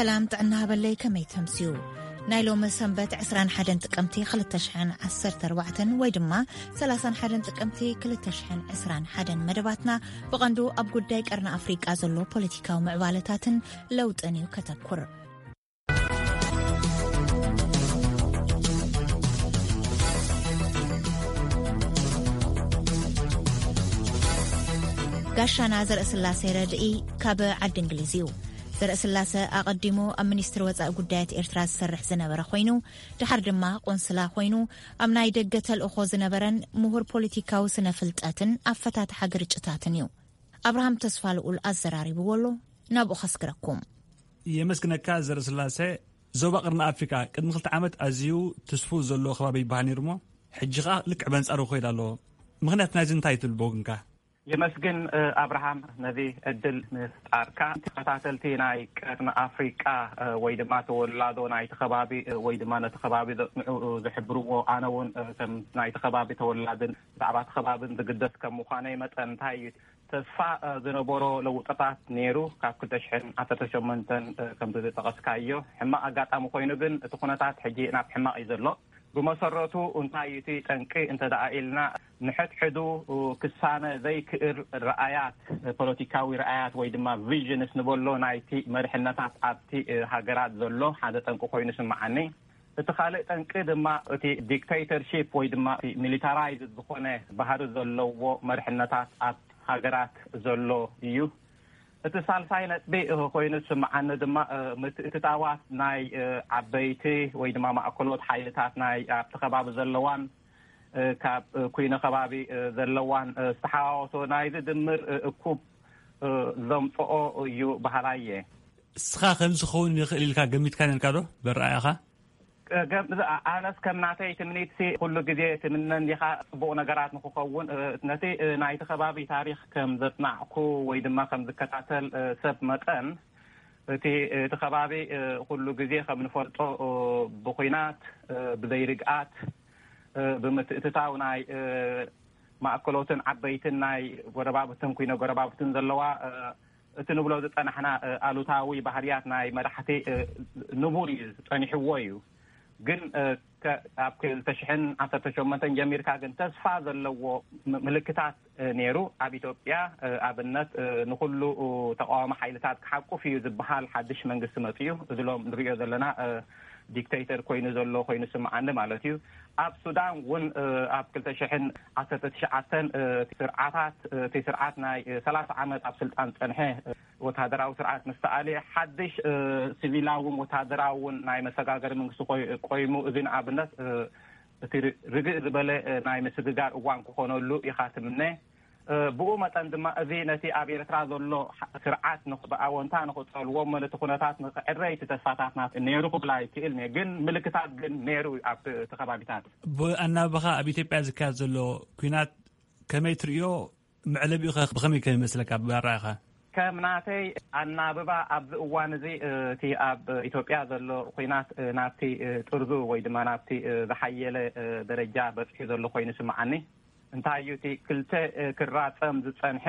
ሰላም ጥዕና ሃበለይ፣ ከመይ ተምስዩ? ናይ ሎሚ ሰንበት ዕስራን ሓደን ጥቅምቲ ክልተ ሽሕን ዓሰርተ ኣርባዕተን ወይ ድማ ሰላሳን ሓደን ጥቅምቲ ክልተ ሽሕን ዕስራን ሓደን መደባትና ብቐንዱ ኣብ ጉዳይ ቀርኒ ኣፍሪቃ ዘሎ ፖለቲካዊ ምዕባለታትን ለውጥን እዩ ከተኩር። ጋሻና ዘርእስላሴ ረድኢ ካብ ዓዲ እንግሊዝ እዩ። ዘርእስላሰ ኣቐዲሙ ኣብ ሚኒስትሪ ወጻኢ ጉዳያት ኤርትራ ዝሰርሕ ዝነበረ ኮይኑ፣ ድሓር ድማ ቆንስላ ኮይኑ ኣብ ናይ ደገ ተልእኾ ዝነበረን ምሁር ፖለቲካዊ ስነ ፍልጠትን ኣፈታትሓ ግርጭታትን እዩ። ኣብርሃም ተስፋ ልኡል ኣዘራሪብዎ ኣሎ። ናብኡ ከስግረኩም። የመስግነካ ዘርእስላሰ። ዞባ ቅርኒ ኣፍሪካ ቅድሚ ክልተ ዓመት ኣዝዩ ትስፉ ዘሎ ከባቢ ይበሃል ነይሩ እሞ፣ ሕጂ ኸኣ ልክዕ በንጻሩ ክኸይድ ኣለዎ። ምኽንያት ናይዚ እንታይ ትብል ብወግንካ? የመስግን፣ እ፣ ኣብርሃም፣ ነዚ ዕድል ምፍጣርካ። ተኸታተልቲ ናይ ቀርኒ ኣፍሪቃ፣ እ፣ ወይ ድማ ተወላዶ ናይቲ ከባቢ፣ እ፣ ወይ ድማ ነቲ ከባቢ ዘጽንዑ፣ እ፣ ዝሕብርዎ፣ ኣነ እውን፣ እ፣ ከም ናይቲ ከባቢ ተወላድን ብዛዕባ እቲ ከባብን ዝግደስ ከም ምዃነይ መጠን፣ እንታይ እዩ ተስፋ፣ እ፣ ዝነበሮ ለውጥታት ነይሩ ካብ ክልተ ሽሕን ዓሰርተ ሸሞንተን፣ እ፣ ከም ዝጠቐስካዮ። ሕማቕ ኣጋጣሚ ኮይኑ ግን እቲ ኩነታት ሕጂ ናብ ሕማቕ እዩ ዘሎ። ብመሰረቱ እንታይ እዩ እቲ ጠንቂ እንተ ደኣ ኢልና፣ ንሕድሕዱ ክሳነ ዘይክእል ረኣያት፣ ፖለቲካዊ ረኣያት ወይ ድማ ቪዥንስ ንበሎ ናይቲ መሪሕነታት ኣብቲ ሃገራት ዘሎ ሓደ ጠንቂ ኮይኑ ይስምዓኒ። እቲ ካልእ ጠንቂ ድማ እቲ ዲክቴተርሺፕ ወይ ድማ እቲ ሚሊታራይዝድ ዝኾነ ባህሪ ዘለዎ መሪሕነታት ኣብ ሃገራት ዘሎ እዩ። እቲ ሳልሳይ ነጥቢ ኮይኑ ዝስምዓኒ ድማ፣ እ፣ ምትእትታዋት ናይ፣ እ፣ ዓበይቲ ወይ ድማ ማእከሎት ሓይልታት ናይ ኣብቲ ከባቢ ዘለዋን፣ እ፣ ካብ፣ እ፣ ኩይነ ከባቢ፣ እ፣ ዘለዋን፣ እ፣ ዝተሓዋወሶ ናይዚ ድምር፣ እ፣ እኩብ፣ እ፣ ዘምጽኦ እዩ በሃላይ እየ። እስኻ ከምዚ ክኸውን ይኽእል ኢልካ ገሚትካ ነርካ ዶ? በረኣያኻ? ገም-፣ ኣነስ ከም ናተይ ትምኒትሲ ኩሉ ግዜ ትምነ እንዲኻ ጽቡቕ ነገራት ንክኸውን፣ እ፣ ነቲ፣ እ፣ ናይቲ ከባቢ ታሪኽ ከም ዘጽናዕኩ ወይ ድማ ከም ዝከታተል፣ እ፣ ሰብ መጠን፣ እቲ፣ እቲ ከባቢ፣ እ፣ ኩሉ ግዜ ከም ንፈልጦ፣ እ፣ ብኹናት፣ እ፣ ብዘይርግኣት፣ እ፣ ብምትእትታው ናይ፣ እ፣ ማእከሎትን ዓበይትን ናይ ጎረባብትን ኩይነ ጎረባብትን ዘለዋ፣ እ፣ እቲ ንብሎ ዝጸናሕና፣ እ፣ ኣሉታዊ ባህርያት ናይ መራሕቲ፣ እ፣ ንቡር እዩ፣ ጸኒሕዎ እዩ። ግን፣ እ፣ ከ-፣ ኣብ ክልተ ሽሕን ዓሰርተ ሸሞንተን ጀሚርካ ግን ተስፋ ዘለዎ ም-፣ ምልክታት፣ እ፣ ነይሩ። ኣብ ኢትዮጵያ፣ እ፣ ኣብነት፣ እ፣ ንኹሉ፣ እ፣ ተቃዋሚ ሓይልታት ክሓቁፍ እዩ ዝበሃል ሓድሽ መንግስቲ መጽኡ። እዚ ሎም ንሪኦ ዘለና፣ እ፣ ዲክቴተር ኮይኑ ዘሎ ኮይኑ ስምዓኒ ማለት እዩ። ኣብ ሱዳን እውን፣ እ፣ ኣብ ክልተ ሽሕን ዓሰርተ ትሽዓተን፣ እ፣ ስርዓታት፣ እ፣ እቲ ስርዓት ናይ፣ እ፣ ሰላሳ ዓመት ኣብ ስልጣን ጸንሐ፣ እ፣ ወተሃደራዊ ስርዓት ምስ ተኣልየ፣ ሓድሽ፣ እ፣ ሲቪላውን ወተሃደራውን ናይ መሰጋገሪ መንግስቲ ኮይ-፣ ቆይሙ፣ እዚ ንኣብነት፣ እ፣ እቲ ር-፣ ርግእ ዝበለ፣ እ፣ ናይ ምስግጋር እዋን ክኾነሉ ኢኻ ትምነ። እ፣ ብኡ መጠን ድማ እዚ ነቲ ኣብ ኤርትራ ዘሎ ሓ-፣ ስርዓት ንኽ-፣ ብኣወንታ ንኽጸልዎ እሞ ነቲ ኩነታት ንኽዕረ እቲ ተስፋታትና ነይሩ ክብላ ይክእል እየ። ግን ምልክታት ግን ነይሩ እዩ ኣብቲ ከባቢታት። ብኣናብባኻ ኣብ ኢትዮጵያ ዝካየድ ዘሎ ኲናት ከመይ ትርእዮ? መዕለቢኡ ኸ ብኸመይ ከም ይመስለካ ብኣረኣእያኻ? ከም ናተይ ኣናብባ ኣብዚ እዋን እዚ፣ እ፣ እቲ ኣብ ኢትዮጵያ ዘሎ ኲናት፣ እ፣ ናብቲ፣ እ፣ ጥርዙ ወይ ድማ ናብቲ፣ እ፣ ዝሓየለ፣ እ፣ ደረጃ በጺሑ ዘሎ ኮይኑ ይስምዓኒ። እንታይ እዩ እቲ ክልተ፣ እ፣ ክራጸም ዝጸንሐ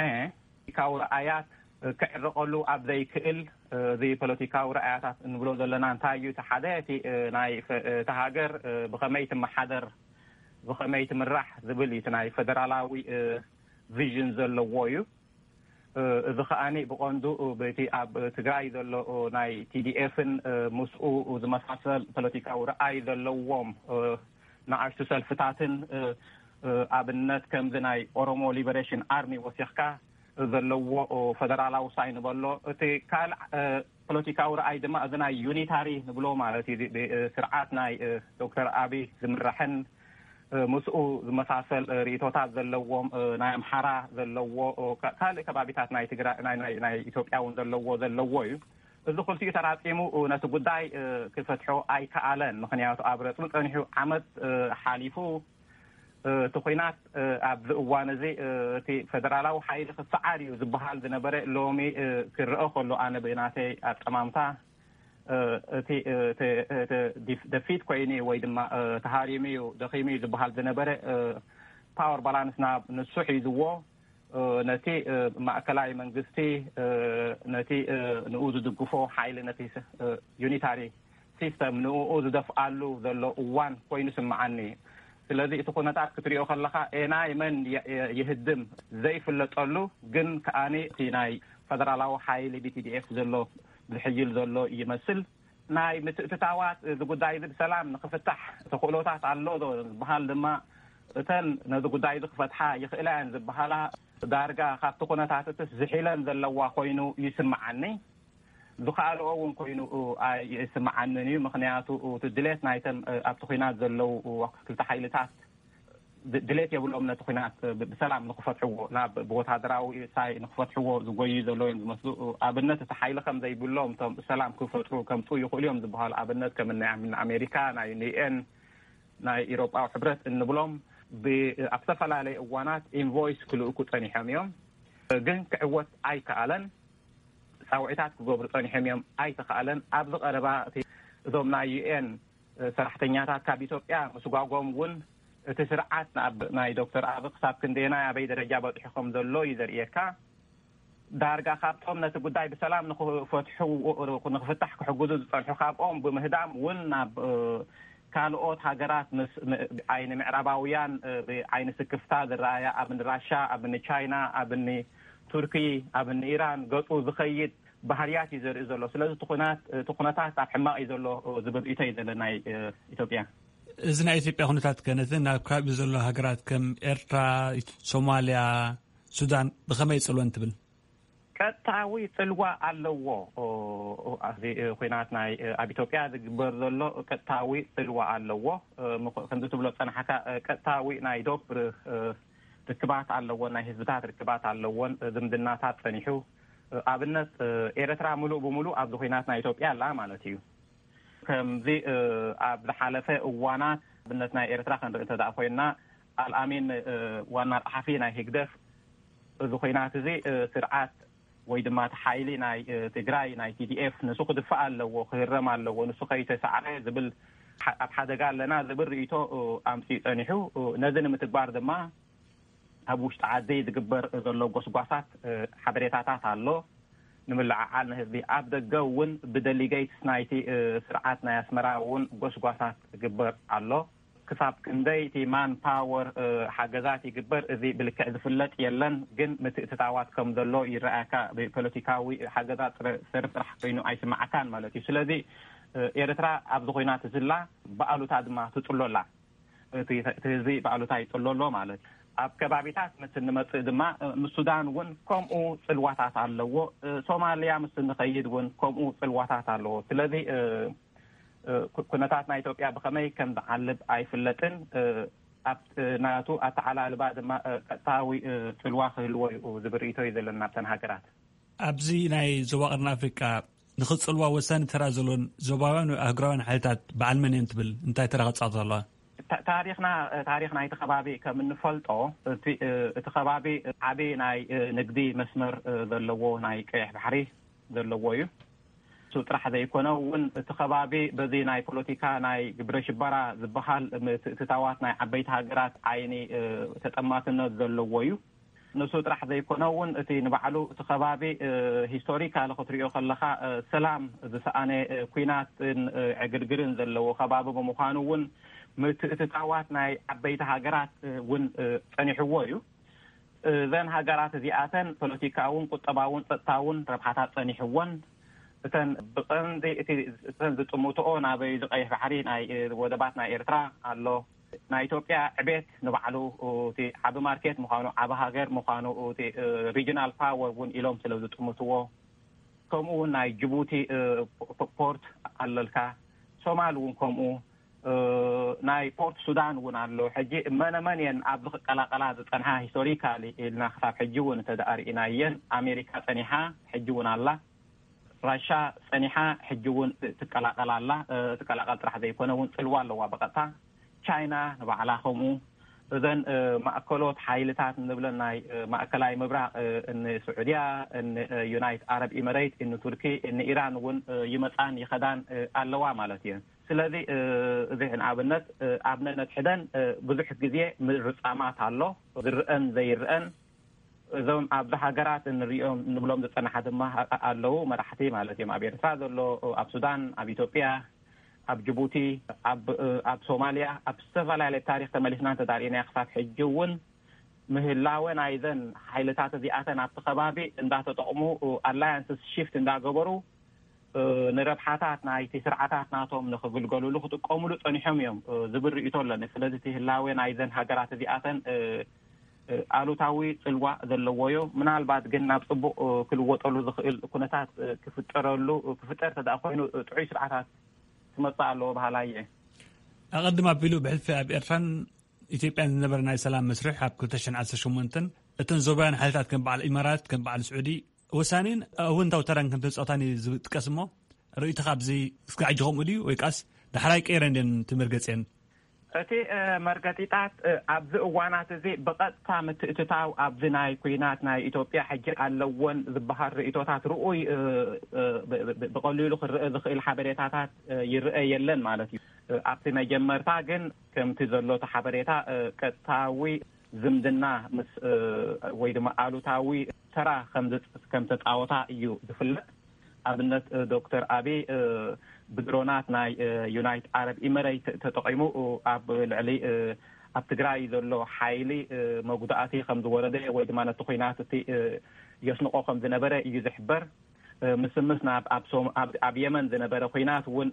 ፖለቲካዊ ረኣያት፣ እ፣ ክዕረቐሉ ኣብ ዘይክእል፣ እ፣ እዚ ፖለቲካዊ ረኣያታት እንብሎ ዘለና እንታይ እዩ? እቲ ሓደ እቲ፣ እ፣ ናይ ፈ-፣ እ፣ እታ ሃገር፣ እ፣ ብኸመይ ትመሓደር፣ ብኸመይ ትምራሕ ዝብል እዩ። እቲ ናይ ፈደራላዊ፣ እ፣ ቪዥን ዘለዎ እዩ። እ፣ እዚ ከኣኒ ብቐንዱ፣ እ፣ በቲ ኣብ ትግራይ ዘሎ፣ እ፣ ናይ ቲ ዲ ኤፍን፣ እ፣ ምስኡ ዝመሳሰል ፖለቲካዊ ረኣይ ዘለዎም፣ እ፣ ንኣሽቱ ሰልፍታትን፣ እ፣ እ፣ ኣብነት ከምዚ ናይ ኦሮሞ ሊበሬሽን ኣርሚ ወሲኽካ ዘለዎ፣ እ፣ ፈደራላዊ ሳይ ንበሎ። እቲ ካልእ፣ እ፣ ፖለቲካዊ ረኣይ ድማ እዚ ናይ ዩኒታሪ ንብሎ ማለት እዩ። ብ-፣ ብ-፣ ስርዓት ናይ፣ እ፣ ዶክተር ኣቢይ ዝምራሕን፣ እ፣ ምስኡ ዝመሳሰል፣ እ፣ ርእይቶታት ዘለዎም፣ እ፣ ናይ ኣምሓራ ዘለዎ፣ እ፣ ካ-፣ ካልእ ከባቢታት ናይ ትግራይ፣ ናይ፣ ናይ፣ ናይ ኢትዮጵያ እውን ዘለዎ፣ ዘለዎ እዩ። እዚ ክልቲኡ ተራጺሙ፣ እ፣ ነቲ ጉዳይ፣ እ፣ ክፈትሖ ኣይከኣለን። ምኽንያቱ ኣብ ረጽሚ ጸኒሑ ዓመት፣ እ፣ ሓሊፉ፣ እ፣ እቲ ኲናት፣ እ፣ ኣብዚ እዋን እዚ፣ እ፣ እቲ ፈደራላዊ ሓይሊ ክሰዓር እዩ ዝበሃል ዝነበረ ሎሚ፣ እ፣ ክረአ ከሎ ኣነ ብናተይ ኣጠማምታ፣ እ፣ እቲ፣ እ፣ እቲ፣ እቲ ዲፍ-፣ ደፊት ኮይኑ ወይ ድማ፣ እ፣ ተሃሪሙ እዩ፣ ደኺሙ እዩ ዝበሃል ዝነበረ፣ እ፣ ፓወር ባላንስ ናብ ንሱ ሒዝዎ፣ ነቲ ማእከላይ መንግስቲ፣ ነቲ ንኡ ዝድግፎ ሓይሊ፣ ነቲ ዩኒታሪ ሲስተም ንኡ ዝደፍኣሉ ዘሎ እዋን ኮይኑ ስምዓኒ። ስለዚ እቲ ኩነታት ክትሪኦ ከለኻ፣ ኤናይ መን ይህድም ዘይፍለጠሉ፣ ግን ከኣኒ እቲ ናይ ፈደራላዊ ሓይሊ ቢቲዲኤፍ ዘሎ ዝሕይል ዘሎ ይመስል። ናይ ምትእትታዋት እዚ ጉዳይ እዚ ብሰላም ንክፍታሕ ተኽእሎታት ኣሎ ዶ ዝበሃል ድማ፣ እተን ነዚ ጉዳይ እዚ ክፈትሓ ይኽእላ እየን ዝበሃላ ዳርጋ ካብቲ ኩነታት እትስ ዝሒለን ዘለዋ ኮይኑ ይስምዓኒ። ዝኸኣልኦ እውን ኮይኑ ኣይስምዓንን እዩ። ምኽንያቱ እቲ ድሌት ናይተን ኣብቲ ኩናት ዘለዉ ክልተ ሓይልታት ድሌት የብሎም ነቲ ኩናት ብሰላም ንክፈትሕዎ፣ ናብ ብወታደራዊ ሳይ ንክፈትሕዎ ዝጎዩ ዘለዉ እዮም ዝመስሉ። ኣብነት እቲ ሓይሊ ከም ዘይብሎም እቶም ሰላም ክፈጥሩ ከምፅኡ ይኽእሉ እዮም ዝበሃሉ ኣብነት ከም ናይ ኣሜሪካ፣ ናይ ዩኤን፣ ናይ ኢሮጳዊ ሕብረት እንብሎም ኣብ ዝተፈላለየ እዋናት ኢንቮይስ ክልእኩ ፀኒሖም እዮም። ግን ክዕወት ኣይከኣለን። ፃውዒታት ክገብሩ ፀኒሖም እዮም፣ ኣይተኸኣለን። ኣብዚ ቀረባ እቲ እዞም ናይ ዩኤን ሰራሕተኛታት ካብ ኢትዮጵያ ምስጓጎም እውን እቲ ስርዓት ንኣብ ናይ ዶክተር ኣብ ክሳብ ክንደየናይ ኣበይ ደረጃ በፂሑ ከም ዘሎ እዩ ዘርእየካ። ዳርጋ ካብቶም ነቲ ጉዳይ ብሰላም ንክፈትሑ ንክፍታሕ ክሕግዙ ዝፀንሑ ካብኦም ብምህዳም እውን ናብ ካልኦት ሃገራት ምስ ዓይኒ ምዕራባውያን ዓይኒ ስክፍታ ዝረኣያ ኣብ ራሻ፣ ኣብ ቻይና፣ ኣብ ቱርኪ፣ ኣብ ኢራን ገፁ ዝኸይድ ባህርያት እዩ ዘርኢ ዘሎ። ስለዚ እቲ ኩነታት ኣብ ሕማቕ እዩ ዘሎ ዝብል ርእይቶ እዩ ዘሎ ናይ ኢትዮጵያ። እዚ ናይ ኢትዮጵያ ኩነታት ከነትን ኣብ ከባቢ ዘሎ ሃገራት ከም ኤርትራ፣ ሶማልያ፣ ሱዳን ብኸመይ ይጽልወን ትብል? ቀጥታዊ ጽልዋ ኣለዎ። እዚ ኩናት ናይ ኣብ ኢትዮጵያ ዝግበር ዘሎ ቀጥታዊ ጽልዋ ኣለዎ። ከምዚ ትብሎ ጸናሕካ ቀጥታዊ ናይ ዶብ ርክባት ኣለዎ፣ ናይ ህዝብታት ርክባት ኣለዎን ዝምድናታት ጸኒሑ። ኣብነት ኤርትራ ምሉእ ብምሉእ ኣብዚ ኩናት ናይ ኢትዮጵያ ኣላ ማለት እዩ። ከምዚ ኣብ ዝሓለፈ እዋናት ኣብነት ናይ ኤርትራ ክንርኢ እንተ ኮይንና ኣልኣሚን ዋና ጸሓፊ ናይ ህግደፍ እዚ ኩናት እዚ ስርዓት ወይ ድማ እቲ ሓይሊ ናይ ትግራይ ናይ ቲዲኤፍ ንሱ ክድፋእ ኣለዎ፣ ክህረም ኣለዎ፣ ንሱ ከይተሳዕረ ዝብል ኣብ ሓደጋ ኣለና ዝብል ርእይቶ ኣምፅኡ ጸኒሑ። ነዚ ንምትግባር ድማ ኣብ ውሽጢ ዓዲ ዝግበር ዘሎ ጎስጓሳት ሓበሬታታት ኣሎ። ንምልዕዓል ንህዝቢ ኣብ ደገ እውን ብደሊገይትስ ናይቲ ስርዓት ናይ ኣስመራ እውን ጎስጓሳት ዝግበር ኣሎ። ክሳብ ክንደይ እቲ ማን ፓወር ሓገዛት ይግበር፣ እዚ ብልክዕ ዝፍለጥ የለን። ግን ምትእትታዋት ከም ዘሎ ይረኣየካ። ብፖለቲካዊ ሓገዛት ሰሪ ስራሕ ኮይኑ ኣይስማዓካን ማለት እዩ። ስለዚ ኤርትራ ኣብዚ ኮይና ትዝላ፣ ብኣሉታ ድማ ትጽሎላ። እቲ ህዝቢ ብኣሉታ ይጽሎ ኣሎ ማለት እዩ። ኣብ ከባቢታት ምስ እንመጽእ ድማ ምስ ሱዳን እውን ከምኡ ጽልዋታት ኣለዎ። ሶማልያ ምስ እንኸይድ እውን ከምኡ ጽልዋታት ኣለዎ። ስለዚ ኩነታት ናይ ኢትዮጵያ ብኸመይ ከም ዝዓልብ ኣይፍለጥን። ኣብ ናቱ ኣተዓላልባ ድማ ቀጥታዊ ጽልዋ ክህልዎ እዩ ዝብል ርእይቶ እዩ ዘለና ኣብተን ሃገራት። ኣብዚ ናይ ዞባ ቀርኒ ኣፍሪቃ ንኽጽልዋ ወሳኒ ተራ ዘለዎን ዞባውያን ኣህጉራውያን ሓይልታት በዓል መን እዮም ትብል? እንታይ ተራ ክጻወት ኣለዋ? ታሪኽና፣ ታሪኽ ናይቲ ከባቢ ከም እንፈልጦ፣ እቲ ከባቢ ዓቢ ናይ ንግዲ መስመር ዘለዎ ናይ ቀይሕ ባሕሪ ዘለዎ እዩ። እሱ ጥራሕ ዘይኮነ እውን እቲ ከባቢ በዚ ናይ ፖለቲካ ናይ ግብረ ሽበራ ዝበሃል ምትእትታዋት ናይ ዓበይቲ ሃገራት ዓይኒ ተጠማትነት ዘለዎ እዩ። ንሱ ጥራሕ ዘይኮነ እውን እቲ ንባዕሉ እቲ ከባቢ ሂስቶሪካሊ ክትሪኦ ከለኻ ሰላም ዝሰኣነ ኩናትን ዕግርግርን ዘለዎ ከባቢ ብምዃኑ እውን ምትእትታዋት ናይ ዓበይቲ ሃገራት እውን ጸኒሕዎ እዩ። እዘን ሃገራት እዚኣተን ፖለቲካውን ቁጠባውን ጸጥታውን ረብሓታት ጸኒሕዎን፣ እተን ብቐንዲ እቲ እተን ዝጥምትኦ ናበይ እዚ ቀይሕ ባሕሪ ናይ ወደባት ናይ ኤርትራ ኣሎ። ናይ ኢትዮጵያ ዕቤት ንባዕሉ እቲ ዓቢ ማርኬት ምዃኑ፣ ዓቢ ሃገር ምዃኑ፣ እቲ ሪጂናል ፓወር እውን ኢሎም ስለ ዝጥምትዎ፣ ከምኡ እውን ናይ ጅቡቲ ፖርት ኣለልካ፣ ሶማል እውን ከምኡ፣ ናይ ፖርት ሱዳን እውን ኣሎ። ሕጂ መነመን እየን ኣብዚ ክቀላቀላ ዝጸንሓ ሂስቶሪካሊ ኢልና ክሳብ ሕጂ እውን እንተ ደኣ ርኢናየን፣ ኣሜሪካ ጸኒሓ ሕጂ እውን ኣላ። ራሻ ጸኒሓ ሕጂ እውን ትቀላቀል ኣላ። ትቀላቀል ጥራሕ ዘይኮነ እውን ጽልዋ ኣለዋ ብቐጥታ። ቻይና ንባዕላ ከምኡ። እዘን ማእከሎት ሓይልታት እንብለን ናይ ማእከላይ ምብራቕ፣ እኒ ስዑድያ፣ እኒ ዩናይት ኣረብ ኢመሬት፣ እኒ ቱርኪ፣ እኒ ኢራን እውን ይመጻን ይኸዳን ኣለዋ ማለት እዩ። ስለዚ እዚ ንኣብነት ኣብ ነነድሕደን ብዙሕ ግዜ ምርጻማት ኣሎ፣ ዝርአን ዘይርአን። እዞም ኣብዚ ሃገራት እንሪኦም እንብሎም ዝጸናሓ ድማ ኣለዉ፣ መራሕቲ ማለት እዮም። ኣብ ኤርትራ ዘሎ፣ ኣብ ሱዳን፣ ኣብ ኢትዮጵያ፣ ኣብ ጅቡቲ፣ ኣብ ኣብ ሶማልያ፣ ኣብ ዝተፈላለየ ታሪኽ ተመሊስና እንተዳርእናዮ ክሳብ ሕጂ እውን ምህላወ ናይዘን ሓይልታት እዚኣተን ኣብቲ ከባቢ እንዳተጠቕሙ፣ ኣላያንስስ ሽፍት እንዳገበሩ ንረብሓታት ናይቲ ስርዓታት ናቶም ንኽግልገሉሉ ክጥቀሙሉ ጸኒሖም እዮም ዝብል ርእይቶ ኣለኒ። ስለዚ እቲ ህላወ ናይዘን ሃገራት እዚኣተን ኣሉታዊ ጽልዋ ዘለዎ እዩ። ምናልባት ግን ናብ ጽቡቕ ክልወጠሉ ዝኽእል ኩነታት ክፍጠረሉ ክፍጠር ተደኣ ኮይኑ ጥዑይ ስርዓታት ክመጽእ ኣለዎ በሃላይ እየ። ኣቐድም ኣቢሉ ብሕልፊ ኣብ ኤርትራን ኢትዮጵያን ዝነበረ ናይ ሰላም መስርሕ ኣብ ክልተ ሽሕን ዓሰርተ ሸሞንተን እተን ዞባውያን ሓይልታት ከም በዓል ኢማራት ከም በዓል ስዑዲ ወሳኒን ኣወንታዊ ተራን ከም ተጻወታን እዩ ዝጥቀስ እሞ ርእይትኻ ኣብዚ እስካዕ ከምኡ ድዩ ወይ ከኣስ ዳሕራይ ቀይረ እንድን ትምርገጽየን? እቲ መርገጺታት ኣብዚ እዋናት እዚ ብቐጥታ ምትእትታው ኣብዚ ናይ ኩናት ናይ ኢትዮጵያ ሕጂ ኣለዎን ዝበሃል ርእይቶታት ርኡይ ብቐሊሉ ክረአ ዝኽእል ሓበሬታታት ይረአ የለን ማለት እዩ። ኣብቲ መጀመርታ ግን ከምቲ ዘሎ እቲ ሓበሬታ ቀጥታዊ ዝምድና ምስ ወይ ድማ ኣሉታዊ ተራ ከም ተፃወታ እዩ ዝፍለጥ። ኣብነት ዶክተር ኣቢ ብድሮናት ናይ ዩናይት ዓረብ ኢመረይት ተጠቂሙ ኣብ ልዕሊ ኣብ ትግራይ ዘሎ ሓይሊ መጉዳእቲ ከም ዝወረደ ወይ ድማ ነቲ ኩናት እቲ የስንቆ ከም ዝነበረ እዩ ዝሕበር። ምስምስ ናብ ኣብ የመን ዝነበረ ኩናት እውን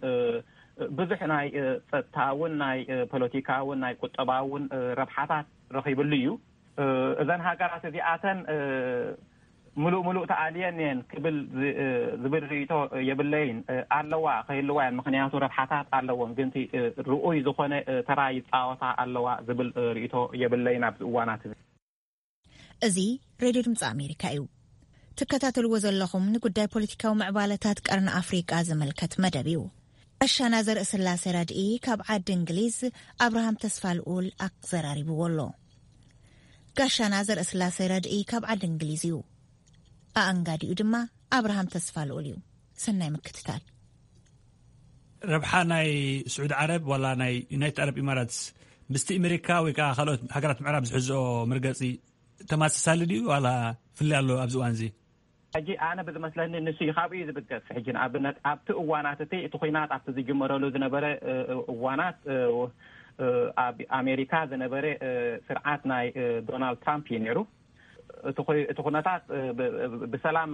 ብዙሕ ናይ ፀጥታውን ናይ ፖለቲካውን ናይ ቁጠባውን ረብሓታት ረኺብሉ እዩ። እዘን ሃገራት እዚኣተን ምሉእ ምሉእ ተኣልየን እየን ክብል ዝብል ርእይቶ የብለይን። ኣለዋ ክህልዋ እየን፣ ምክንያቱ ረብሓታት ኣለዎን፣ ግን ርኡይ ዝኾነ ተራ ይፃወታ ኣለዋ ዝብል ርእይቶ የብለይን ኣብዚ እዋናት እዚ። እዚ ሬድዮ ድምፂ ኣሜሪካ እዩ። ትከታተልዎ ዘለኹም ንጉዳይ ፖለቲካዊ ምዕባለታት ቀርኒ ኣፍሪቃ ዝምልከት መደብ እዩ። ጋሻና ዘርእስላሴ ረድኢ ካብ ዓዲ እንግሊዝ ኣብርሃም ተስፋ ልኡል ኣዘራሪብዎ ኣሎ። ጋሻና ዘርእስላሴ ረድኢ ካብ ዓዲ እንግሊዝ እዩ። ኣኣንጋዲኡ ድማ ኣብርሃም ተስፋ ልኡል እዩ። ሰናይ ምክትታል። ረብሓ ናይ ስዑድ ዓረብ ዋላ ናይ ዩናይትድ ዓረብ ኢማራትስ ምስቲ ኣሜሪካ ወይ ከዓ ካልኦት ሃገራት ምዕራብ ዝሕዝኦ መርገፂ ተማሳሳሊ ድዩ ዋላ ፍልይ ኣሎ ኣብዚ እዋን እዚ? ሕጂ ኣነ ብዝመስለኒ ንሱ እዩ ካብኡ እዩ ዝብገስ። ሕጂ ንኣብነት ኣብቲ እዋናት እቲ እቲ ኩናት ኣብቲ ዝጅመረሉ ዝነበረ እዋናት ኣብ ኣሜሪካ ዝነበረ ስርዓት ናይ ዶናልድ ትራምፕ እዩ ነይሩ። እቲ ኩነታት ብሰላም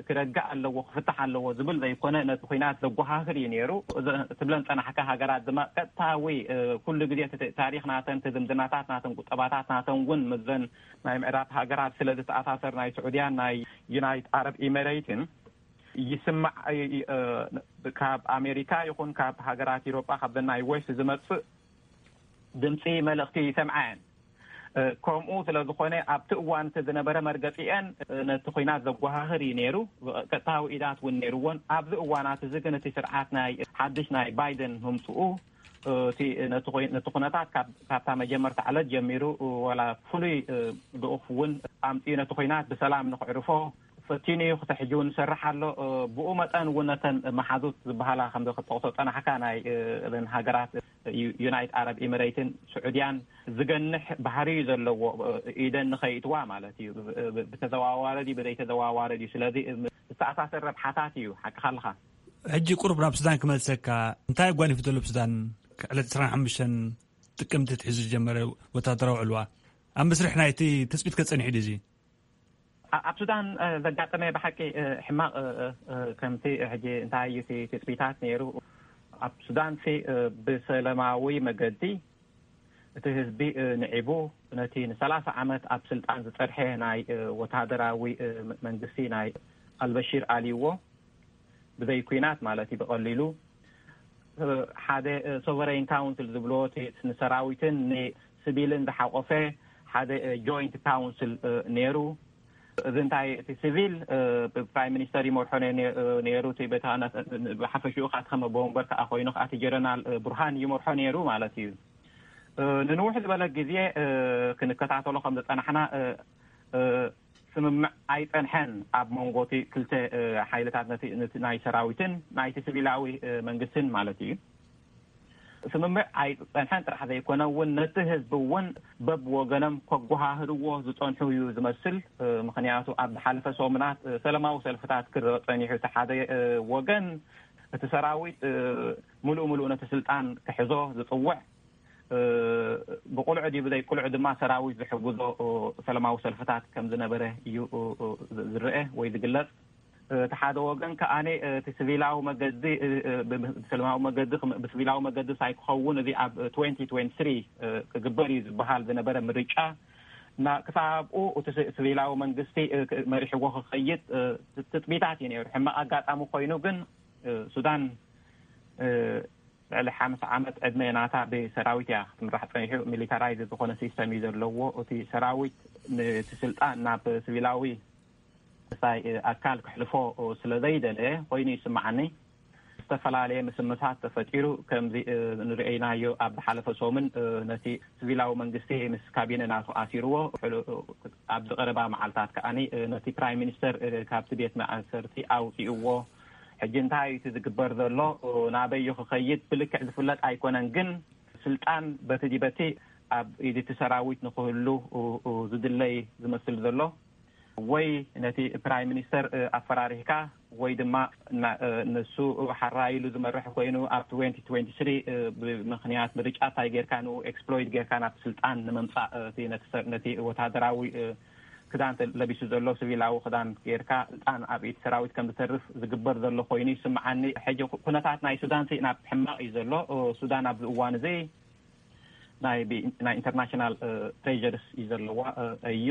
ክረግእ ኣለዎ ክፍታሕ ኣለዎ ዝብል ዘይኮነ ነቲ ኩናት ዘጓሃህር እዩ ነይሩ። ትብለን ፀናሕካ ሃገራት ድማ ቀጥታዊ ኩሉ ግዜ ታሪኽ ናተን ዝምድናታት ናተን ቁጠባታት ናተን እውን ምዘን ናይ ምዕራብ ሃገራት ስለ ዝተኣሳሰር ናይ ስዑድያን ናይ ዩናይት ዓረብ ኢሜሬትን ይስማዕ። ካብ ኣሜሪካ ይኹን ካብ ሃገራት ኢሮጳ ካብ ናይ ዌስት ዝመፅእ ድምፂ መልእኽቲ ይሰምዓ እየን። ከምኡ ስለ ዝኾነ ኣብቲ እዋን እቲ ዝነበረ መርገፂአን ነቲ ኩናት ዘጓሃህር እዩ ነይሩ። ቀጥታዊ ኢዳት እውን ነይርዎን ኣብዚ እዋናት እዚ ግን እቲ ስርዓት ናይ ሓድሽ ናይ ባይደን ምምፅኡ ነቲ ኩነታት ካብታ መጀመርታ ዕለት ጀሚሩ ዋላ ፍሉይ ልኡኽ እውን ኣምፅኡ ነቲ ኩናት ብሰላም ንክዕርፎ ፈቲኑ እዩ። ክሳብ ሕጂ እውን ይሰርሕ ኣሎ። ብኡ መጠን እውን ነተን መሓዙት ዝበሃላ ከም ክጠቕሶ ፀናሕካ ናይ እዘን ሃገራት ዩናይት ዓረብ ኢሚሬትን ስዑድያን ዝገንሕ ባህሪ እዩ ዘለዎ። ኢደን ንኸይእትዋ ማለት እዩ። ብተዘዋዋሪ ድዩ ብዘይተዘዋዋሪ ድዩ? ስለዚ ዝተኣሳሰር ረብሓታት እዩ። ሓቅኻ ኣለኻ። ሕጂ ቁሩብ ናብ ሱዳን ክመልሰካ። እንታይ ኣጓኒፉ ዘሎ ብሱዳን ዕለት ዕስራን ሓሙሽተን ጥቅምቲ ትሒዙ ዝጀመረ ወታደራዊ ዕልዋ ኣብ መስርሕ ናይቲ ትፅቢት ከፀኒሑ ድዩ እዚ? ኣብ ሱዳን ዘጋጠመ ብሓቂ ሕማቕ ከምቲ ሕጂ እንታይ እዩ ትፅቢታት ነይሩ። ኣብ ሱዳን ብሰላማዊ መገዲ እቲ ህዝቢ ንዒቡ ነቲ ንሰላሳ ዓመት ኣብ ስልጣን ዝፀንሐ ናይ ወታደራዊ መንግስቲ ናይ ኣልበሺር ኣልይዎ ብዘይ ኩናት ማለት እዩ። ብቐሊሉ ሓደ ሶቨረይን ካውንስል ዝብልዎ ንሰራዊትን ንስቪልን ዝሓቆፈ ሓደ ጆይንት ካውንስል ነይሩ። እዚ እንታይ እቲ ሲቪል ብፕራይም ሚኒስተር ይመርሖ ነይሩ። እቲ ቤተ ብሓፈሽኡ ከዓ ተኸመ ቦምበር ከዓ ኮይኑ ከዓ እቲ ጀረናል ቡርሃን ይመርሖ ነይሩ ማለት እዩ። ንንውሕ ዝበለ ግዜ ክንከታተሎ ከም ዝፀናሕና ስምምዕ ኣይፀንሐን ኣብ መንጎ እቲ ክልተ ሓይልታት ናይ ሰራዊትን ናይቲ ሲቪላዊ መንግስትን ማለት እዩ። ስምምዕ ኣይጸንሐን ጥራሕ ዘይኮነ እውን ነቲ ህዝቢ እውን በብወገኖም ከጓሃህርዎ ዝጸንሑ እዩ ዝመስል። ምኽንያቱ ኣብ ዝሓለፈ ሰሙናት ሰላማዊ ሰልፍታት ክረአ ጸኒሑ፣ እቲ ሓደ ወገን እቲ ሰራዊት ምሉእ ምሉእ ነቲ ስልጣን ክሕዞ ዝጽውዕ፣ ብቁልዑ ድዩ ብዘይ ቁልዑ ድማ ሰራዊት ዝሕግዞ ሰላማዊ ሰልፍታት ከም ዝነበረ እዩ ዝረአ ወይ ዝግለጽ። እቲ ሓደ ወገን ከኣ እቲ ስቪላዊ መገዲ፣ ብሰላማዊ መገዲ፣ ብስቪላዊ መገዲ ሳይክኸውን እዚ ኣብ ትወንቲ ትወንቲ ስሪ ክግበር እዩ ዝበሃል ዝነበረ ምርጫ፣ ክሳብ ኣብኡ እቲ ስቪላዊ መንግስቲ መሪሕዎ ክኸይድ ትፅቢታት እዩ ነይሩ። ሕማቕ ኣጋጣሚ ኮይኑ ግን ሱዳን ልዕሊ ሓምሳ ዓመት ዕድመ ናታ ብሰራዊት እያ ክትምራሕ ፀኒሑ። ሚሊታራይዝ ዝኾነ ሲስተም እዩ ዘለዎ። እቲ ሰራዊት ነቲ ስልጣን ናብ ስቪላዊ ሳይ ኣካል ክሕልፎ ስለ ዘይደለ ኮይኑ ይስምዓኒ። ዝተፈላለየ ምስምሳት ተፈጢሩ። ከምዚ ንርእይናዮ ኣብ ዝሓለፈ ሰሙን ነቲ ስቪላዊ መንግስቲ ምስ ካቢነ ናቱ ኣሲርዎ። ኣብ ዝቐረባ መዓልታት ከኣ ነቲ ፕራይም ሚኒስተር ካብቲ ቤት ማእሰርቲ ኣውፅእዎ። ሕጂ እንታይ እቲ ዝግበር ዘሎ ናበዩ ክኸይድ ብልክዕ ዝፍለጥ ኣይኮነን። ግን ስልጣን በቲ ዲበቲ ኣብ ኢድቲ ሰራዊት ንክህሉ ዝድለይ ዝመስል ዘሎ፣ ወይ ነቲ ፕራይም ሚኒስተር ኣፈራሪህካ ወይ ድማ ንሱ ሓራይሉ ዝመርሕ ኮይኑ ኣብ ትወንቲ ትወንቲ ስሪ ብምክንያት ምርጫ እንታይ ጌርካ ንኡ ኤክስፕሎይት ጌርካ ናብ ስልጣን ንምምፃእ ነቲ ወታደራዊ ክዳን ለቢሱ ዘሎ ሲቪላዊ ክዳን ጌርካ ስልጣን ኣብ ኢድ ሰራዊት ከም ዝተርፍ ዝግበር ዘሎ ኮይኑ ይስምዓኒ። ሕጂ ኩነታት ናይ ሱዳን ናብ ሕማቕ እዩ ዘሎ። ሱዳን ኣብዚ እዋን እዚ ናይ ኢንተርናሽናል ፕሬርስ እዩ ዘለዋ እዩ።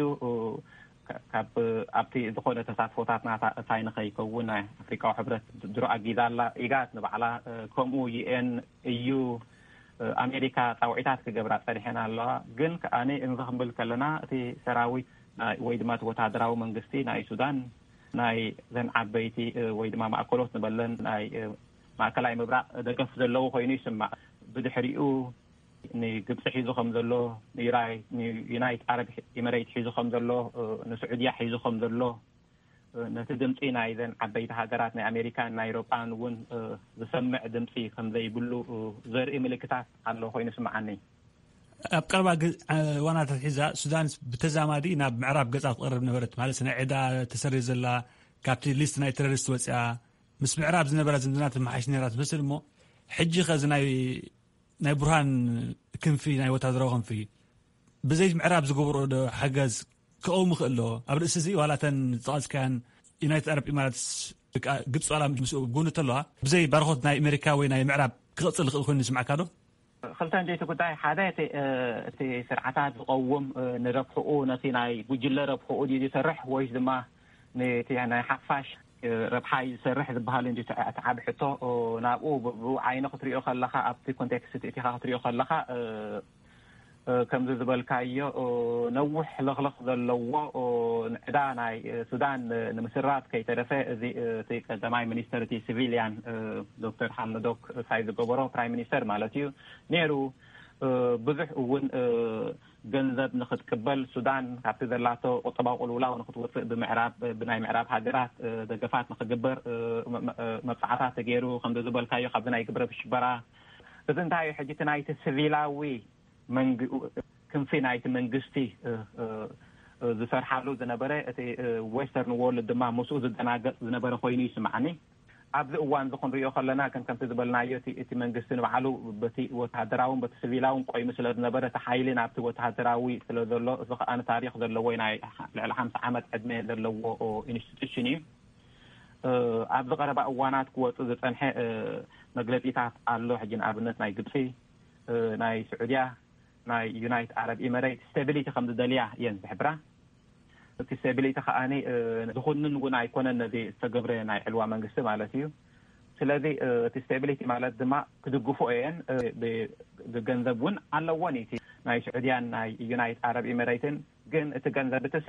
ካብ ኣብቲ ዝኾነ ተሳትፎታት ናታ እታይ ንኸይከውን ናይ ኣፍሪካዊ ሕብረት ድሮ ኣጊዛ ኣላ። ኢጋት ንባዕላ ከምኡ ዩኤን እዩ። ኣሜሪካ ፃውዒታት ክገብራ ፀኒሐን ኣለዋ። ግን ከኣ እንዚ ክንብል ከለና እቲ ሰራዊት ወይ ድማ እቲ ወታደራዊ መንግስቲ ናይ ሱዳን ናይ ዘን ዓበይቲ ወይ ድማ ማእከሎት ንበለን ናይ ማእከላይ ምብራቕ ደገፍ ዘለዎ ኮይኑ ይስማዕ። ብድሕሪኡ ንግብፂ ሒዙ ከም ዘሎ፣ ንዩናይት ዓረብ ኢመሬት ሒዙ ከም ዘሎ፣ ንስዑድያ ሒዙ ከም ዘሎ፣ ነቲ ድምፂ ናይዘን ዓበይቲ ሃገራት ናይ ኣሜሪካን ናይ ኤሮጳን እውን ዝሰምዕ ድምፂ ከም ዘይብሉ ዘርኢ ምልክታት ኣሎ ኮይኑ ስምዓኒ። ኣብ ቀረባ እዋናት ሒዛ ሱዳን ብተዛማዲ ናብ ምዕራብ ገፃ ትቐርብ ነበረት። ማለት ናይ ዕዳ ተሰሪ ዘላ፣ ካብቲ ሊስት ናይ ተረሪስት ወፅያ፣ ምስ ምዕራብ ዝነበራ ዝምድና ትመሓሽ ነራ ትመስል። እሞ ሕጂ ከዚ ናይ ናይ ቡርሃን ክንፊ፣ ናይ ወታደራዊ ክንፊ ብዘይ ምዕራብ ዝገብሮ ዶ ሓገዝ ክቐውም ይኽእል ዶ? ኣብ ርእሲ እዚ ዋላ እተን ዝጠቐስካያን ዩናይትድ ዓረብ ኢማራትስ ግብፂ ዋላ ምስ ጎኒ ተለዋ ብዘይ ባርኾት ናይ ኣሜሪካ ወይ ናይ ምዕራብ ክቕፅል ይኽእል ኮይኑ ይስምዓካ ዶ? ክልተ እንጀይቲ ጉዳይ፣ ሓደ እቲ ስርዓታት ዝቐውም ንረብሕኡ፣ ነቲ ናይ ጉጅለ ረብሕኡ ድዩ ዝሰርሕ ወይስ ድማ ነቲ ናይ ሓፋሽ ረብሓ እዩ ዝሰርሕ ዝበሃል እንጂ እቲ ዓብ ሕቶ ናብኡ ብኡ ዓይነ ክትሪኦ ከለኻ፣ ኣብቲ ኮንቴክስት እቲኻ ክትሪኦ ከለኻ ከምዚ ዝበልካዮ ነውሕ ለኽለኽ ዘለዎ ንዕዳ ናይ ሱዳን ንምስራት ከይተረፈ፣ እዚ እቲ ቀዳማይ ሚኒስተር እቲ ሲቪልያን ዶክተር ሓምዶክ ሳይ ዝገበሮ፣ ፕራይም ሚኒስተር ማለት እዩ፣ ነይሩ። ብዙሕ እውን ገንዘብ ንክትቅበል፣ ሱዳን ካብቲ ዘላቶ ቁጠባዊ ቅልውላው ንክትወፅእ፣ ብምዕራብ ብናይ ምዕራብ ሃገራት ደገፋት ንክግበር መብፃዕታት ተገይሩ። ከምዚ ዝበልካዮ ካብዚ ናይ ግብረ ብሽበራ፣ እዚ እንታይ እዩ ሕጂ እቲ ናይቲ ሲቪላዊ ክንፊ ናይቲ መንግስቲ ዝሰርሓሉ ዝነበረ፣ እቲ ዌስተርን ዎርልድ ድማ ምስኡ ዝደናገፅ ዝነበረ ኮይኑ ይስምዓኒ። ኣብዚ እዋን እዚ ክንሪኦ ከለና፣ ከም ከምቲ ዝበልናዮ እቲ መንግስቲ ንባዕሉ በቲ ወተሃደራውን በቲ ሲቪላውን ቆይሙ ስለ ዝነበረ፣ እቲ ሓይሊ ናብቲ ወተሃደራዊ ስለ ዘሎ፣ እዚ ከኣ ታሪኽ ዘለዎ ናይ ልዕሊ ሓምሳ ዓመት ዕድመ ዘለዎ ኢንስቲቱሽን እዩ። ኣብዚ ቀረባ እዋናት ክወፁ ዝፀንሐ መግለፂታት ኣሎ። ሕጂ ንኣብነት ናይ ግብፂ፣ ናይ ስዑድያ፣ ናይ ዩናይት ዓረብ ኢመሬት ስቴቢሊቲ ከም ዝደልያ እየን ዝሕብራ። እቲ ስቴቢሊቲ ከኣ ዝኹንን እውን ኣይኮነን ነዚ ዝተገብረ ናይ ዕልዋ መንግስቲ ማለት እዩ። ስለዚ እቲ ስቴቢሊቲ ማለት ድማ ክድግፎ እየን፣ ብገንዘብ እውን ኣለዎን እቲ ናይ ስዑድያን ናይ ዩናይት ዓረብ ኢመሬትን። ግን እቲ ገንዘብ እትሲ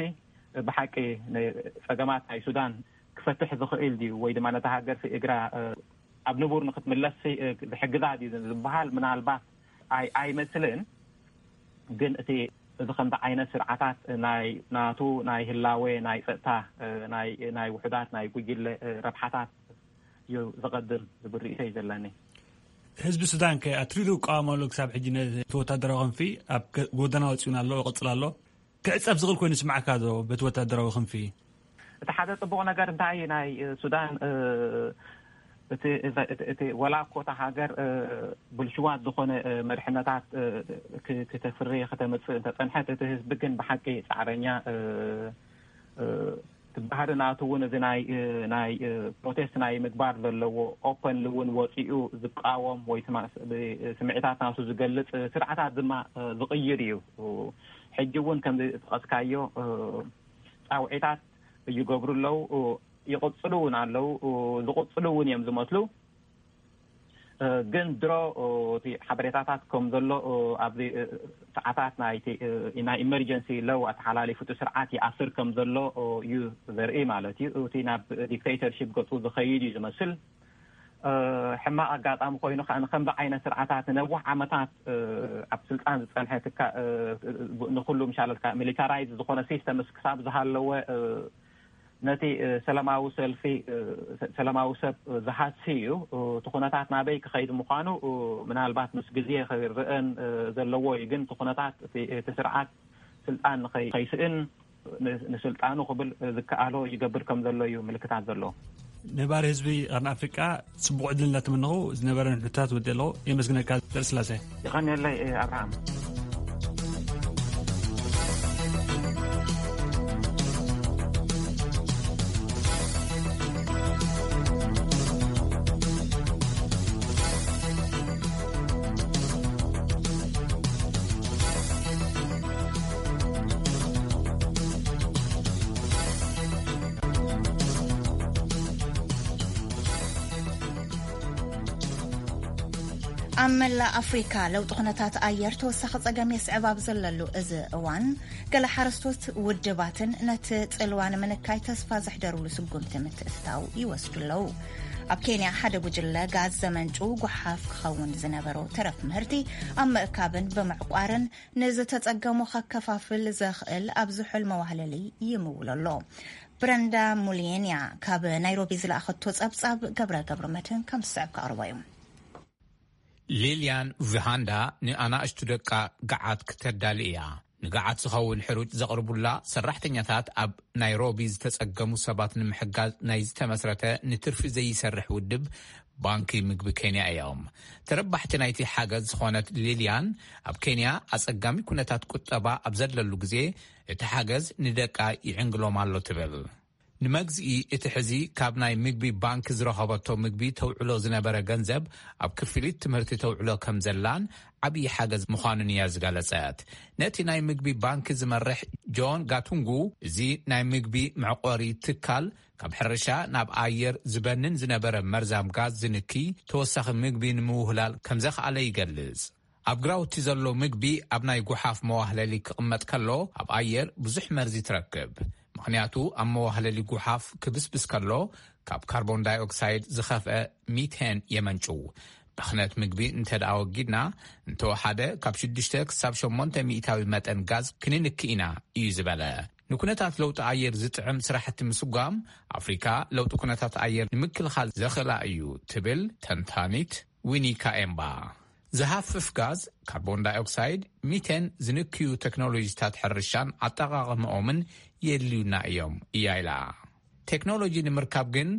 ብሓቂ ንፀገማት ናይ ሱዳን ክፈትሕ ዝኽእል ድዩ ወይ ድማ ነታ ሃገር እግራ ኣብ ንቡር ንክትምለስ ዝሕግዛ ድዩ ዝበሃል ምናልባት ኣይመስልን። ግን እቲ እዚ ከምዚ ዓይነት ስርዓታት ናይ ናቱ ናይ ህላወ ናይ ፀጥታ ናይ ውሕዳት ናይ ጉጅለ ረብሓታት እዩ ዝቐድም ዝብል ርእይቶ እዩ ዘለኒ። ህዝቢ ሱዳን ከ ኣትሪሩ ይቃወም ኣሎ። ክሳብ ሕጂ ነቲ ወታደራዊ ክንፊ ኣብ ከ-፣ ጎደና ወጺኡን ኣሎ፣ ይቕጽል ኣሎ። ክዕጸፍ ዝኽእል ኮይኑ ይስምዓካ ዶ በቲ ወታደራዊ ክንፊ? እቲ ሓደ ጽቡቕ ነገር እንታይ ናይ፣ እ፣ ሱዳን፣ እ፣ እቲ፣ እቲ፣ እቲ፣ እቲ ወላ እኮ እታ ሃገር፣ እ፣ ብልሽዋት ዝኾነ፣ እ፣ መድሕነታት፣ እ፣ ክ-፣ ክተፍሪ ከተምጽእ እንተጸንሐት፣ እቲ ህዝቢ ግን ብሓቂ ጻዕረኛ፣ እ፣ እ፣ እቲ ባህሪ ናቱ እውን እዚ ናይ፣ እ፣ ናይ፣ እ፣ ፕሮቴስት ናይ ምግባር ዘለዎ፣ ኦፐንሊ እውን ወጺኡ ዝቃወም ወይ ስማ-፣ ብ-፣ ስምዒታት ናቱ ዝገልጽ፣ እ፣ ስርዓታት ድማ፣ እ፣ ዝቕይር እዩ። ሕጂ እውን ከምዚ ዝጠቐስካዮ፣ እ፣ ጻውዒታት ይገብሩ ኣለዉ፣ ይቕጽሉ እውን ኣለዉ፣ ዝቕጽሉ እውን እዮም ዝመስሉ። እ፣ ግን ድሮ፣ እ፣ እቲ ሓበሬታታት ከም ዘሎ፣ እ፣ ኣብዚ፣ እ፣ ሰዓታት ናይቲ፣ እ፣ ናይ ኢመርጀንሲ ለው ኣተሓላሊፉ እቲ ስርዓት ይኣስር ከም ዘሎ፣ እ፣ እዩ ዘርኢ ማለት እዩ። እቲ ናብ ዲክቴተርሺፕ ገጹ ዝኸይድ እዩ ዝመስል። እ፣ ሕማቕ ኣጋጣሚ ኮይኑ ከኣ ንከምዚ ዓይነት ስርዓታት ንነዊሕ ዓመታት፣ እ፣ ኣብ ስልጣን ዝጸንሐ ትካ-፣ እ፣ ንኹሉ ምሻለትካ ሚሊታራይዝ ዝኾነ ሲስተምስ ክሳብ ዝሃለወ፣ እ፣ ነቲ፣ እ፣ ሰላማዊ ሰልፊ፣ እ፣ ሰ-፣ ሰላማዊ ሰብ ዝሃሲ እዩ። እ፣ እቲ ኩነታት ናበይ ክኸይድ ምዃኑ፣ እ፣ ምናልባት ምስ ግዜ ክርአን፣ እ፣ ዘለዎ እዩ። ግን እቲ ኩነታት እቲ፣ እቲ ስርዓት ስልጣን ንኸይ-፣ ከይስእን ን-፣ ንስልጣኑ ክብል ዝከኣሎ ይገብር ከም ዘሎ እዩ ምልክታት ዘሎ። ነባሪ ህዝቢ ቀርኒ ኣፍሪቃ ጽቡቕ ዕድል እናተመነኹ ዝነበረን ሕቶታት ወዲእ ኣለኹ። የመስግነካ ደርስላሴ። ይቐንየለይ፣ እ፣ ኣብርሃም። ኣብ መላእ ኣፍሪካ ለውጢ ኩነታት ኣየር ተወሳኺ ጸገም የስዕብ ኣብ ዘለሉ እዚ እዋን፣ ገለ ሓረስቶት ውድባትን ነቲ ጽልዋ ንምንካይ ተስፋ ዘሕደሩሉ ስጉምቲ ምትእትታው ይወስዱ ኣለዉ። ኣብ ኬንያ ሓደ ጉጅለ ጋዝ ዘመንጩ ጓሓፍ ክኸውን ዝነበሮ ተረፍ ምህርቲ ኣብ ምእካብን ብምዕቋርን ንዝተጸገሙ ከከፋፍል ዘኽእል ኣብ ዝሑል መዋህለሊ ይምውል ኣሎ። ብረንዳ ሙልየንያ ካብ ናይሮቢ ዝለኣኸቶ ጸብጻብ ገብረ ገብረ መድህን ከም ዝስዕብ ከቕርቦ እዩ። ሊልያን ቪሃንዳ ንኣናእሽቱ ደቃ ገዓት ክተዳሊ እያ። ንገዓት ዝኸውን ሕሩጭ ዘቕርቡላ ሰራሕተኛታት ኣብ ናይሮቢ ዝተጸገሙ ሰባት ንምሕጋዝ ናይ ዝተመስረተ ንትርፊ ዘይሰርሕ ውድብ ባንኪ ምግቢ ኬንያ እዮም። ተረባሕቲ ናይቲ ሓገዝ ዝኾነት ሊልያን ኣብ ኬንያ ኣጸጋሚ ኩነታት ቁጠባ ኣብ ዘለሉ ግዜ እቲ ሓገዝ ንደቃ ይዕንግሎም ኣሎ ትብል። ንመግዝኢ እቲ ሕዚ ካብ ናይ ምግቢ ባንክ ዝረኸበቶ ምግቢ ተውዕሎ ዝነበረ ገንዘብ ኣብ ክፍሊት ትምህርቲ ተውዕሎ ከም ዘላን ዓብዪ ሓገዝ ምዃኑን እያ ዝገለጸት። ነቲ ናይ ምግቢ ባንክ ዝመርሕ ጆን ጋቱንጉ፣ እዚ ናይ ምግቢ መዕቆሪ ትካል ካብ ሕርሻ ናብ ኣየር ዝበንን ዝነበረ መርዛም ጋዝ ዝንኪ ተወሳኺ ምግቢ ንምውህላል ከም ዘኽኣለ ይገልጽ። ኣብ ግራውቲ ዘሎ ምግቢ ኣብ ናይ ጉሓፍ መዋህለሊ ክቕመጥ ከሎ ኣብ ኣየር ብዙሕ መርዚ ትረክብ። ምኽንያቱ ኣብ መዋህለሊ ጉሓፍ ክብስብስ ከሎ ካብ ካርቦን ዳይኦክሳይድ ዝኸፍአ ሚቴን የመንጭው። ብኽነት ምግቢ እንተ ደኣ ወጊድና፣ እንተወሓደ ካብ ሽዱሽተ ክሳብ ሸሞንተ ሚእታዊ መጠን ጋዝ ክንንኪ ኢና እዩ ዝበለ። ንኩነታት ለውጢ ኣየር ዝጥዕም ስራሕቲ ምስጓም ኣፍሪካ ለውጢ ኩነታት ኣየር ንምክልኻል ዘኽእላ እዩ ትብል ተንታኒት ዊኒ ካኤምባ። ዝሃፍፍ ጋዝ፣ ካርቦን ዳይኦክሳይድ፣ ሚቴን ዝንክዩ ቴክኖሎጂታት ሕርሻን ኣጠቓቕምኦምን የድልዩና እዮም እያ ኢላ። ቴክኖሎጂ ንምርካብ ግን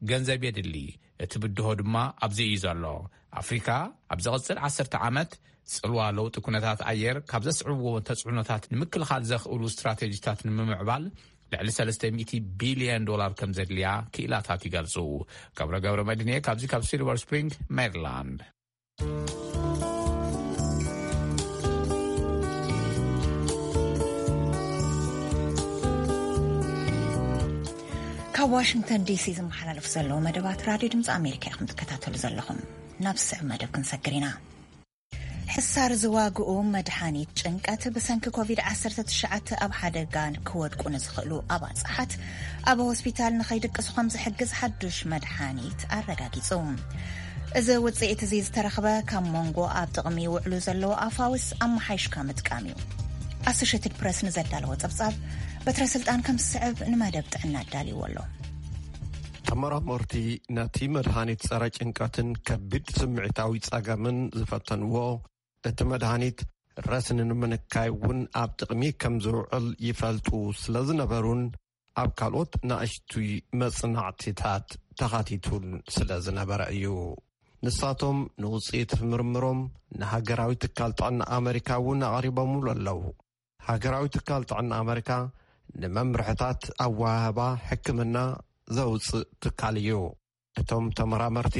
ገንዘብ የድሊ። እቲ ብድሆ ድማ ኣብዚ እዩ ዘሎ። ኣፍሪካ ኣብ ዝቕጽል ዓሰርተ ዓመት ጽልዋ ለውጢ ኩነታት ኣየር ካብ ዘስዕብዎ ተጽዕኖታት ንምክልኻል ዘኽእሉ ስትራቴጂታት ንምምዕባል ልዕሊ ሰለስተ ሚእቲ ቢልዮን ዶላር ከም ዘድልያ ክኢላታት ይገልጹ። ገብረ ገብረ መድህን እየ ካብዚ ካብ ሲልቨር ስፕሪንግ ሜሪላንድ። ካብ ዋሽንግተን ዲሲ ዝመሓላለፍ ዘለዉ መደባት ራድዮ ድምፂ ኣሜሪካ ኢኹም ትከታተሉ ዘለኹም። ናብ ዝስዕብ መደብ ክንሰግር ኢና። ሕሳር ዝዋግኡ መድሓኒት ጭንቀት ብሰንኪ ኮቪድ ዓሰርተ ትሽዓተ ኣብ ሓደጋ ክወድቁ ንዝኽእሉ ኣባፅሓት ኣብ ሆስፒታል ንኸይድቅሱ ከም ዝሕግዝ ሓዱሽ መድሓኒት ኣረጋጊጹ። እዚ ውፅኢት እዚ ዝተረኽበ ካብ መንጎ ኣብ ጥቕሚ ይውዕሉ ዘለዉ ኣፋውስ ኣመሓይሽካ ምጥቃም እዩ። ኣሶሽትድ ፕረስ ንዘዳለዎ ጸብጻብ በትረ ስልጣን ከም ዝስዕብ ንመደብ ጥዕና ኣዳልይዎ ኣሎ። ተመራመርቲ ነቲ መድሃኒት ጸረ ጭንቀትን ከቢድ ስምዒታዊ ጸገምን ዝፈተንዎ፣ እቲ መድሃኒት ረስኒ ንምንካይ እውን ኣብ ጥቕሚ ከም ዝውዕል ይፈልጡ ስለ ዝነበሩን ኣብ ካልኦት ናእሽቱይ መጽናዕቲታት ተኻቲቱን ስለ ዝነበረ እዩ። ንሳቶም ንውጽኢት ምርምሮም ንሃገራዊ ትካል ጥዕና ኣመሪካ እውን ኣቕሪቦምሉ ኣለዉ። ሃገራዊ ትካል ጥዕና ኣመሪካ ንመምርሕታት ኣወሃህባ ሕክምና ዘውጽእ ትካል እዩ። እቶም ተመራመርቲ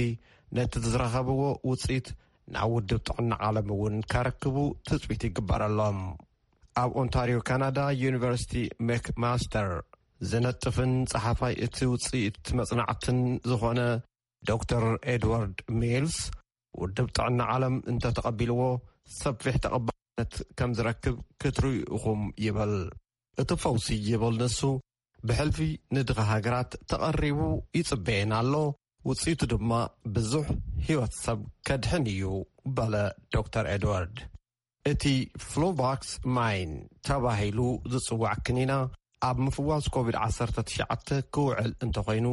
ነቲ ዝረኸብዎ ውጽኢት ናብ ውድብ ጥዕና ዓለም እውን ከረክቡ ትጽቢት ይግበረሎም። ኣብ ኦንታሪዮ ካናዳ ዩኒቨርሲቲ ሜክማስተር ዝነጥፍን ጸሓፋይ እቲ ውጽኢት መጽናዕትን ዝኾነ ዶክተር ኤድዋርድ ሚልስ፣ ውድብ ጥዕና ዓለም እንተተቐቢልዎ ሰፊሕ ተቐባልነት ከም ዝረክብ ክትርእዩ ኢኹም ይብል። እቲ ፈውሲ ይብል ንሱ፣ ብሕልፊ ንድኻ ሃገራት ተቐሪቡ ይጽበየን ኣሎ፣ ውጽኢቱ ድማ ብዙሕ ህይወት ሰብ ከድሕን እዩ፣ በለ ዶክተር ኤድዋርድ። እቲ ፍሎቫክስ ማይን ተባሂሉ ዝጽዋዕ ክኒና ኣብ ምፍዋስ ኮቪድ ዓሰርተ ትሽዓተ ክውዕል እንተኾይኑ፣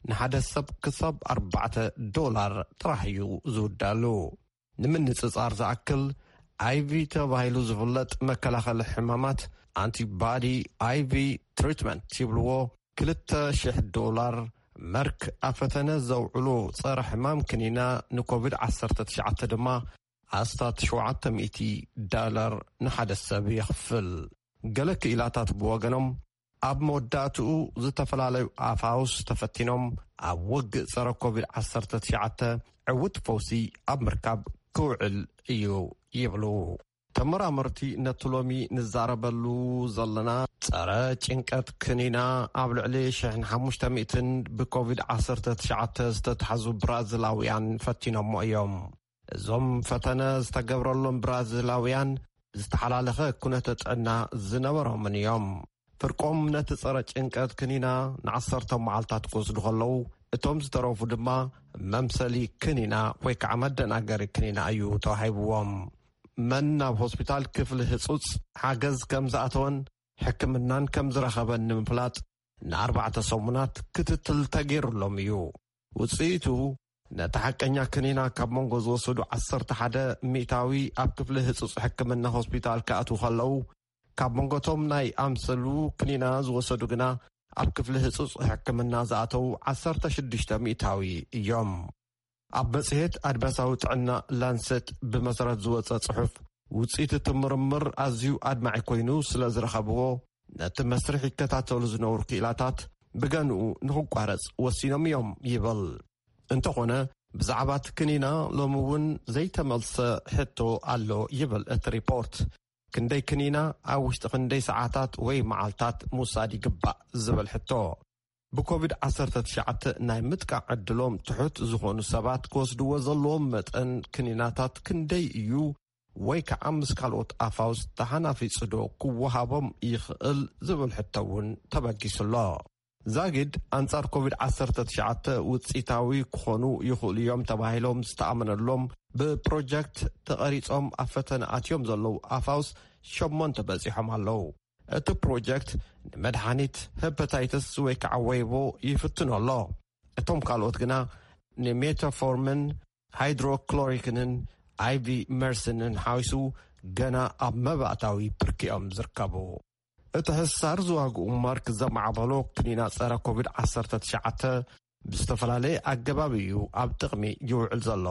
ንሓደ ሰብ ክሳብ ኣርባዕተ ዶላር ጥራሕ እዩ ዝውዳሉ። ንምንጽጻር ዝኣክል፣ ኣይቪ ተባሂሉ ዝፍለጥ መከላኸሊ ሕማማት፣ ኣንቲባዲ ኣይቪ ትሪትመንት ይብልዎ፣ ክልተ ሽሕ ዶላር። መርክ ኣብ ፈተነ ዘውዕሎ ጸረ ሕማም ክኒና ንኮቪድ ዓሰርተ ትሽዓተ ድማ ኣስታት ሸውዓተ ሚእቲ ዳላር ንሓደ ሰብ የኽፍል። ገለ ክኢላታት ብወገኖም፣ ኣብ መወዳእትኡ ዝተፈላለዩ ኣፋውስ ተፈቲኖም ኣብ ውግእ ጸረ ኮቪድ ዓሰርተ ትሽዓተ ዕዉት ፈውሲ ኣብ ምርካብ ክውዕል እዩ ይብሉ። ተመራመርቲ ነቲ ሎሚ ንዛረበሉ ዘለና ጸረ ጭንቀት ክኒና ኣብ ልዕሊ ሽሕን ሓሙሽተ ሚእትን ብኮቪድ ዓሰርተ ትሽዓተ ዝተታሕዙ ብራዚላውያን ፈቲኖሞ እዮም። እዞም ፈተነ ዝተገብረሎም ብራዚላውያን ዝተሓላለኸ ኩነተ ጥዕና ዝነበሮምን እዮም። ፍርቆም ነቲ ጸረ ጭንቀት ክኒና ንዓሰርተ መዓልታት ክወስዱ ከለዉ፣ እቶም ዝተረፉ ድማ መምሰሊ ክኒና ወይ ከዓ መደናገሪ ክኒና እዩ ተዋሂብዎም። መን ናብ ሆስፒታል ክፍሊ ህጹጽ ሓገዝ ከም ዝኣተወን ሕክምናን ከም ዝረኸበን ንምፍላጥ ንኣርባዕተ ሰሙናት ክትትል ተገይሩሎም እዩ። ውጽኢቱ ነቲ ሓቀኛ ክኒና ካብ መንጎ ዝወሰዱ ዓሰርተ ሓደ ሚእታዊ ኣብ ክፍሊ ህጹጽ ሕክምና ሆስፒታል ክኣትዉ ከለዉ፣ ካብ መንጎቶም ናይ ኣምሰሉ ክኒና ዝወሰዱ ግና ኣብ ክፍሊ ህጹጽ ሕክምና ዝኣተዉ ዓሰርተ ሽዱሽተ ሚእታዊ እዮም። ኣብ መጽሔት ኣድማሳዊ ጥዕና ላንሰት ብመሰረት ዝወጸ ጽሑፍ፣ ውጽኢት እቲ ምርምር ኣዝዩ ኣድማዒ ኮይኑ ስለ ዝረኸብዎ፣ ነቲ መስርሕ ይከታተሉ ዝነበሩ ክኢላታት ብገንኡ ንኽቋረጽ ወሲኖም እዮም ይብል። እንተኾነ፣ ብዛዕባ እቲ ክኒና ሎሚ እውን ዘይተመልሰ ሕቶ ኣሎ ይብል እቲ ሪፖርት። ክንደይ ክኒና ኣብ ውሽጢ ክንደይ ሰዓታት ወይ መዓልታት ምውሳድ ይግባእ ዝብል ሕቶ። ብኮቪድ ዓሰርተ ትሽዓተ ናይ ምጥቃዕ ዕድሎም ትሑት ዝኾኑ ሰባት ክወስድዎ ዘለዎም መጠን ክኒናታት ክንደይ እዩ? ወይ ከዓ ምስ ካልኦት ኣፋውስ ተሓናፊጹ ዶ ክወሃቦም ይኽእል ዝብል ሕቶ እውን ተበጊሱ ኣሎ። ዛጊድ ኣንጻር ኮቪድ ዓሰርተ ትሽዓተ ውጽኢታዊ ክኾኑ ይኽእሉ እዮም ተባሂሎም ዝተኣመነሎም ብፕሮጀክት ተቐሪጾም ኣብ ፈተነ ኣትዮም ዘለዉ ኣፋውስ ሸሞንተ በጺሖም ኣለዉ። እቲ ፕሮጀክት ንመድሓኒት ሄፓታይተስ ወይ ከዓ ወይቦ ይፍትኖ ኣሎ። እቶም ካልኦት ግና ንሜታፎርምን ሃይድሮክሎሪክንን ኣይቪ መርስንን ሓዊሱ ገና ኣብ መባእታዊ ብርኪኦም ዝርከቡ። እቲ ሕሳር ዝዋግኡ ማርክ ዘማዕበሎ ክኒና ጸረ ኮቪድ ዓሰርተ ትሽዓተ ብዝተፈላለየ ኣገባብ እዩ ኣብ ጥቕሚ ይውዕል ዘሎ።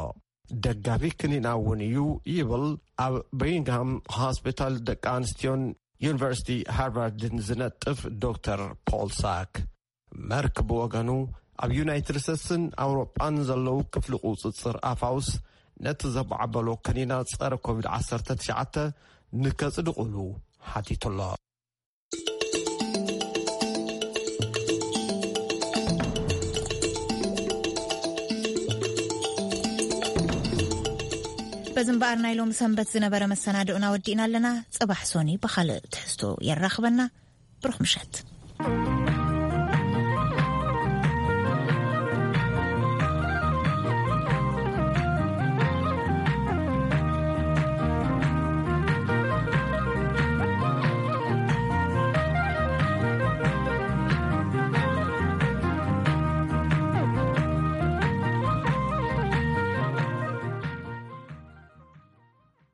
ደጋፊ ክኒና እውን እዩ ይብል ኣብ በሪንግሃም ሆስፒታል ደቂ ኣንስትዮን ዩኒቨርሲቲ ሃርቫርድን ዝነጥፍ ዶክተር ፖል ሳክ። መርክ ብወገኑ ኣብ ዩናይትድ ስቴትስን ኣውሮጳን ዘለዉ ክፍሊ ቁጽጽር ኣፋውስ ነቲ ዘማዕበሎ ክኒና ጸረ ኮቪድ ዓሰርተ ትሽዓተ ንከጽድቑሉ ሓቲቱ ኣሎ። በዚ እምበኣር ናይ ሎሚ ሰንበት ዝነበረ መሰናድኦና ወዲእና ኣለና። ጽባሕ ሶኒ ብኻልእ ትሕዝቶ የራኽበና። ብሩኽ ምሸት።